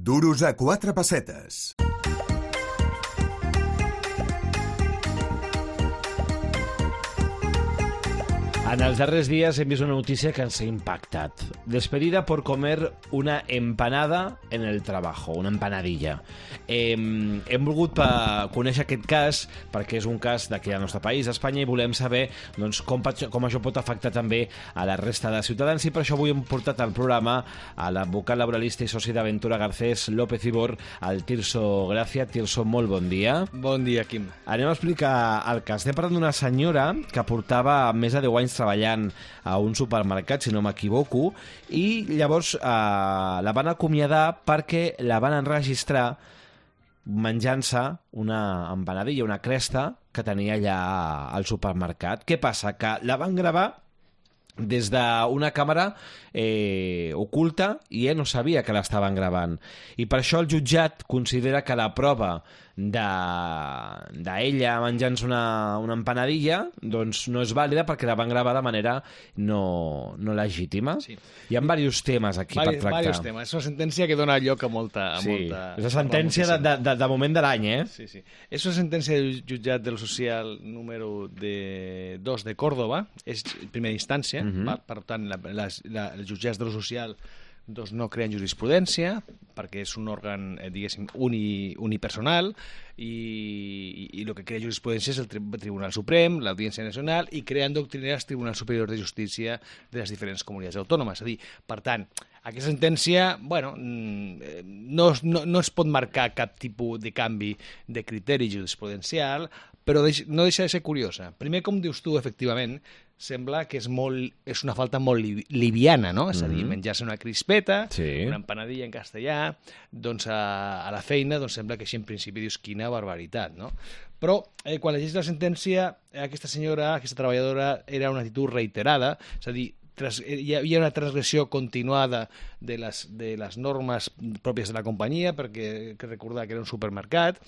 Duros a 4 pessetes. En els darrers dies hem vist una notícia que ens ha impactat. Despedida por comer una empanada en el trabajo, una empanadilla. Hem volgut conèixer aquest cas perquè és un cas d'aquí al nostre país, Espanya, i volem saber doncs, com això pot afectar també a la resta de ciutadans, i per això avui hem portat al programa a l'advocat laboralista i soci d'Aventura Garcés López Ibor, el Tirso Gràcia. Tirso, molt bon dia. Bon dia, Quim. Anem a explicar el cas. Estem parlant d'una senyora que portava més de 10 anys treballant a un supermercat, si no m'equivoco, i llavors la van acomiadar perquè la van enregistrar menjant-se una empanadilla, una cresta que tenia allà al supermercat. Què passa? Que la van gravar des d'una càmera oculta i ell no sabia que l'estaven gravant. I per això el jutjat considera que la prova d'ella menjant-se una empanadilla doncs no és vàlida perquè la van gravar de manera no legítima. Sí. Hi ha diversos temes aquí per tractar. Diversos temes. És una sentència que dona lloc a molta... És la sentència de moment de l'any, eh? Sí, sí. És una sentència del jutjat del social número 2 de Córdoba, és primera instància, per tant, els jutjats de lo social doncs no creen jurisprudència perquè és un òrgan, diguéssim, unipersonal i el que crea jurisprudència és el Tribunal Suprem, l'Audiència Nacional, i creen doctrines el Tribunal Superior de Justícia de les diferents comunitats autònomes. És a dir, per tant, aquesta sentència, bueno, no es pot marcar cap tipus de canvi de criteri jurisprudencial, però no deixa de ser curiosa. Primer, com dius tu, efectivament, sembla que és una falta molt liviana, no? És a dir, menjar-se una crispeta, una empanadilla en castellà, doncs a la feina doncs sembla que així en principi dius quina barbaritat, no? Però quan llegeix la sentència, aquesta senyora, aquesta treballadora, era una actitud reiterada, és a dir, hi havia una transgressió continuada de les normes pròpies de la companyia, perquè cal recordar que era un supermercat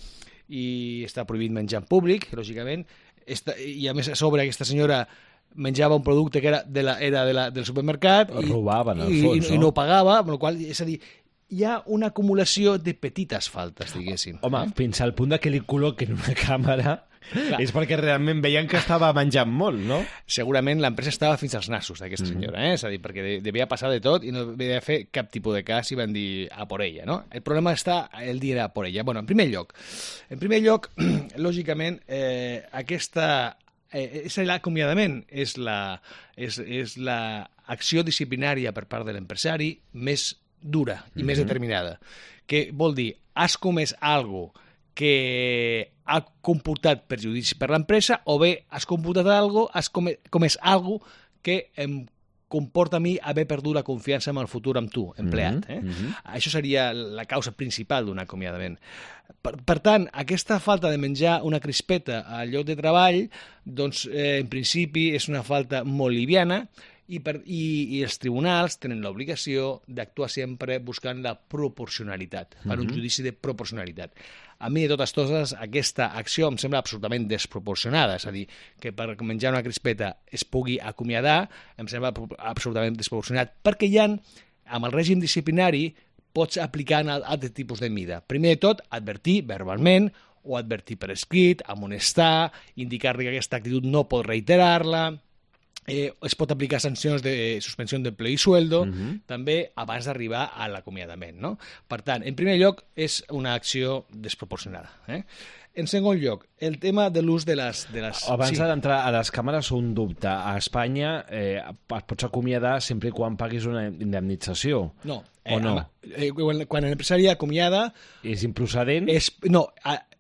i està prohibit menjar en públic, lògicament, i a més a sobre aquesta senyora menjava un producte que era del supermercat i no pagava, amb la qual cosa, és a dir, hi ha una acumulació de petites faltes, diguéssim. Home, fins al punt que li col·loquen una càmera és perquè realment veien que estava menjant molt, no? Segurament l'empresa estava fins als nassos d'aquesta senyora, és a dir, perquè devia passar de tot i no devia fer cap tipus de cas i van dir a por ella, no? El problema està el dir a por ella. Bueno, en primer lloc, lògicament, és l'acomiadament, és l'acció disciplinària per part de l'empresari més dura i més determinada, que vol dir, has comès alguna cosa que ha comportat perjudici per l'empresa o bé has comportat has comès alguna cosa que em comporta a mi haver perdut la confiança en el futur amb tu, empleat. Això seria la causa principal d'un acomiadament. Per tant, aquesta falta de menjar una crispeta al lloc de treball, doncs, en principi, és una falta molt liviana i els tribunals tenen l'obligació d'actuar sempre buscant la proporcionalitat, per un judici de proporcionalitat. A mi, de totes coses, aquesta acció em sembla absolutament desproporcionada, és a dir, que per menjar una crispeta es pugui acomiadar, em sembla absolutament desproporcionat, perquè hi ha, amb el règim disciplinari, pots aplicar en altres tipus de mida. Primer de tot, advertir verbalment o advertir per escrit, amonestar, indicar-li que aquesta actitud no pot reiterar-la, es pot aplicar sancions de suspensió d'empleo i sueldo, també abans d'arribar a l'acomiadament, no? Per tant, en primer lloc, és una acció desproporcionada. En segon lloc, el tema de l'ús de les... Abans d'entrar a les càmeres, un dubte. A Espanya et pots acomiadar sempre i quan paguis una indemnització. No. O no? Quan l'empresari acomiada... És improcedent? No,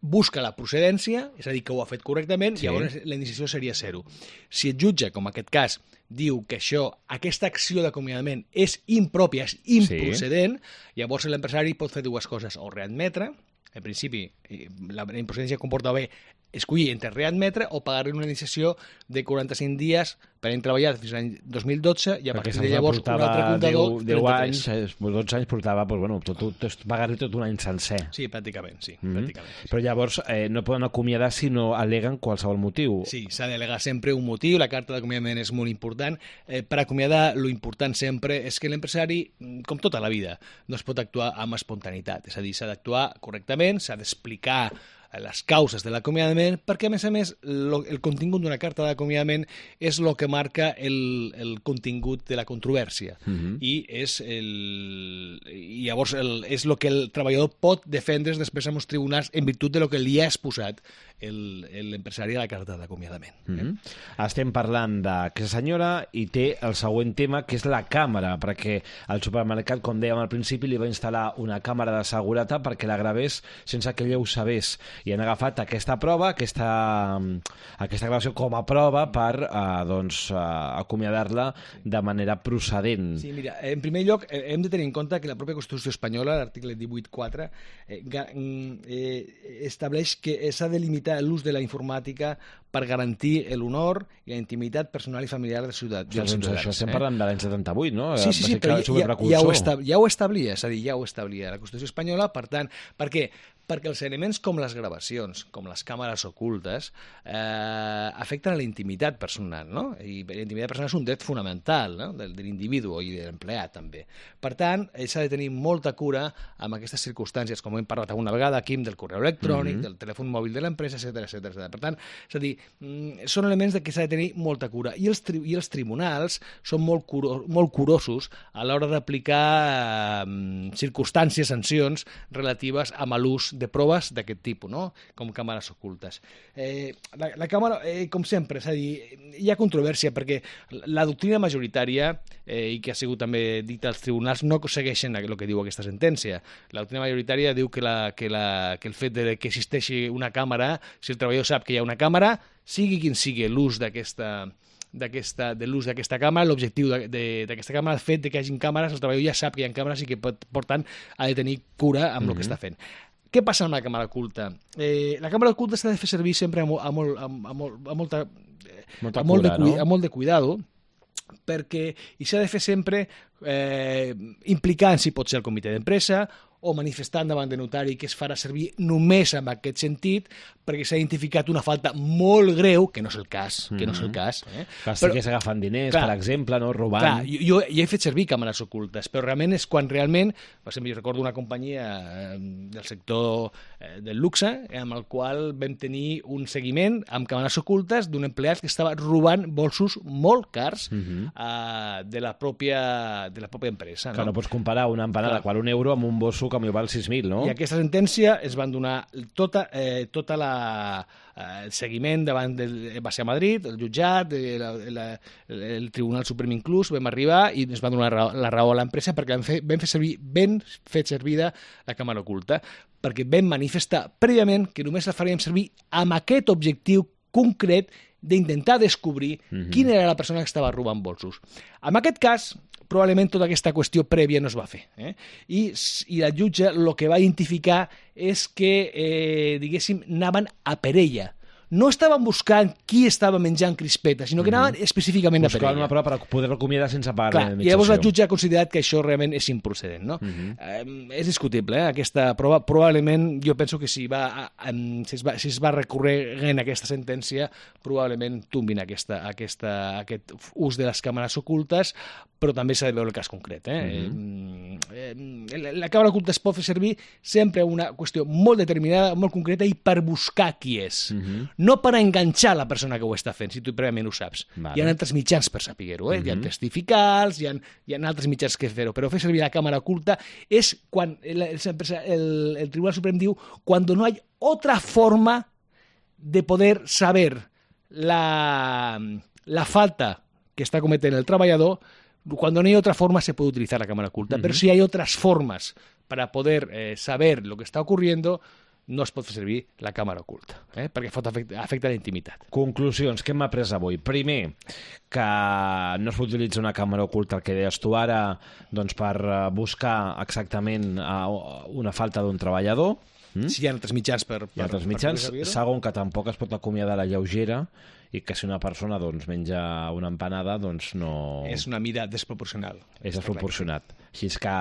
busca la procedència, és a dir, que ho ha fet correctament, i llavors la indemnització seria 0. Si el jutge, com en aquest cas, diu que aquesta acció d'acomiadament és impròpia, és improcedent, llavors l'empresari pot fer dues coses, o readmetre, en principi la improcedència comporta bé escollir entre readmetre o pagar-li una indemnització de 45 dies per any treballat fins l'any 2012 i a partir de llavors un altre comptador 10 anys, 12 anys portava pagar-li tot un any sencer. Sí, pràcticament, sí. Pràcticament. Però llavors no poden acomiadar si no al·leguen qualsevol motiu. Sí, s'ha d'al·legar sempre un motiu, la carta d'acomiadament és molt important. Per acomiadar, lo important sempre és que l'empresari, com tota la vida, no es pot actuar amb espontaneïtat, és a dir, s'ha d'actuar correctament, s'ha d'explicar les causes de l'acomiadament, perquè, a més, el contingut d'una carta d'acomiadament és el que marca el contingut de la controvèrsia. I llavors és el que el treballador pot defendre's després amb els tribunals en virtut de lo que li ha exposat l'empresari a la carta d'acomiadament. Estem parlant d'aquesta senyora i té el següent tema, que és la càmera, perquè al supermercat, com dèiem al principi, li va instal·lar una càmera de seguretat perquè la gravés sense que ella ho sabés. I han agafat aquesta prova, aquesta gravació com a prova per acomiadar-la de manera procedent. Sí, mira, en primer lloc hem de tenir en compte que la pròpia Constitució espanyola, l'article 18.4, estableix que s'ha de limitar l'ús de la informàtica per garantir l'honor i la intimitat personal i familiar dels ciutadans. Això estem parlant de l'any 78, no? Sí, però ja ho establia, és a dir, ja ho establia la Constitució espanyola, per tant, per què? Perquè els elements com les gravacions, com les càmeres ocultes, afecten a la intimitat personal, no? I la intimitat personal és un dret fonamental, no? de l'individu i de l'empleat, també. Per tant, s'ha de tenir molta cura amb aquestes circumstàncies, com hem parlat alguna vegada aquí, del correu electrònic, del telèfon mòbil de l'empresa, etc. Per tant, és a dir, són elements que s'ha de tenir molta cura. I els tribunals són molt curosos a l'hora d'aplicar circumstàncies, sancions relatives a l'ús de proves d'aquest tipus, no? Com càmeres ocultes. La càmera, com sempre, és a dir, hi ha controvèrsia perquè la doctrina majoritària, i que ha sigut també dita als tribunals, no segueixen el que diu aquesta sentència. La doctrina majoritària diu que el fet de que existeixi una càmera, si el treballador sap que hi ha una càmera, sigui quin sigui l'ús d'aquesta càmera, l'objectiu d'aquesta càmera, el fet de que hi hagi càmeres, el treballador ja sap que hi ha càmeres i que, per tant, ha de tenir cura amb el que està fent. Què passa amb la càmera oculta? La càmera oculta s'ha de fer servir sempre amb molt de cuidado, perquè s'ha de fer sempre implicant, si pot ser, el comitè d'empresa o manifestant davant de notari que es farà servir només en aquest sentit, perquè s'ha identificat una falta molt greu, que no és el cas, Que estigués agafant diners, per exemple, no? Robant. Clar, jo he fet servir càmeres ocultes, però realment és quan realment, per exemple, jo recordo una companyia del sector del luxe, amb el qual vam tenir un seguiment amb càmeres ocultes d'un empleat que estava robant bolsos molt cars de la pròpia empresa. Que no pots comparar una empanada qual €1 amb un bosso que m'hi val 6.000, no? I aquesta sentència es van donar tota el seguiment davant va ser a Madrid, el jutjat, el Tribunal Suprem inclús, vam arribar i ens van donar la raó a l'empresa perquè vam fer servida la càmera oculta, perquè vam manifestar prèviament que només la faríem servir amb aquest objectiu concret d'intentar descobrir quina era la persona que estava robant bolsos. En aquest cas, probablement tota aquesta qüestió prèvia no es va fer. I la jutge el que va identificar és que, diguéssim, anaven a per ella. No estaven buscant qui estava menjant crispetes, sinó que anaven específicament a per ella. Buscaven una prova per poder acomiadar sense pagar la indemnització. I llavors la jutge ha considerat que això realment és improcedent. No? És discutible, aquesta prova. Probablement, jo penso que si es va recorrent aquesta sentència, probablement tombin aquest ús de les càmeres ocultes, però també s'ha de veure el cas concret. La càmera oculta es pot fer servir sempre una qüestió molt determinada, molt concreta, i per buscar qui és. No per enganxar la persona que ho està fent, si tu prèviament ho saps. Hi ha altres mitjans per saber-ho, hi ha testificals, hi ha altres mitjans que fer-ho, però fer servir la càmera oculta és quan el Tribunal Suprem diu quan no hi ha otra forma de poder saber la falta que está cometiendo el trabajador. Cuando no hay otra forma se puede utilizar la cámara oculta, pero si hay otras formas para poder saber lo que está ocurriendo, no es pot fer servir la càmera oculta, perquè afecta la intimitat. Conclusions, què hem après avui? Primer, que no es pot utilitzar una càmera oculta, el que deies tu ara, doncs per buscar exactament una falta d'un treballador. Si hi ha altres mitjans per Hi ha altres mitjans. poder saber-ho. Segon, que tampoc es pot acomiadar la lleugera i que si una persona doncs, menja una empanada, doncs no... És una mida desproporcional. És desproporcionat. Així és que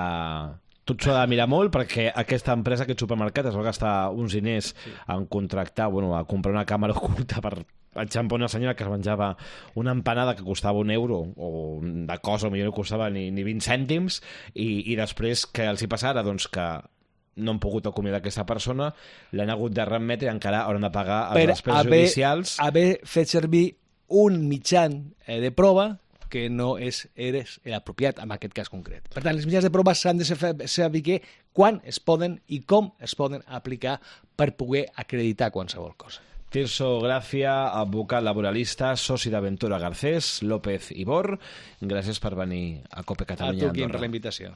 tot s'ho ha de mirar molt perquè aquesta empresa, aquest supermercat, es va gastar uns diners en contractar, bueno, a comprar una càmera oculta per enxampar una senyora que es menjava una empanada que costava €1 o de cosa, potser no costava ni 20 cèntims i després que els hi passara doncs que no han pogut acomiadar aquesta persona, l'han hagut de remetre i encara hauran de pagar les despeses judicials. Haver fet servir un mitjan de prova que no era apropiat en aquest cas concret. Per tant, els mitjans de prova s'han de saber quan es poden i com es poden aplicar per poder acreditar qualsevol cosa. Tirso Gràcia, advocat laboralista, soci d'Aventura Garcés, López i Bor. Gràcies per venir a Cope A Catalunya tu, Quim, per Andorra. la invitació.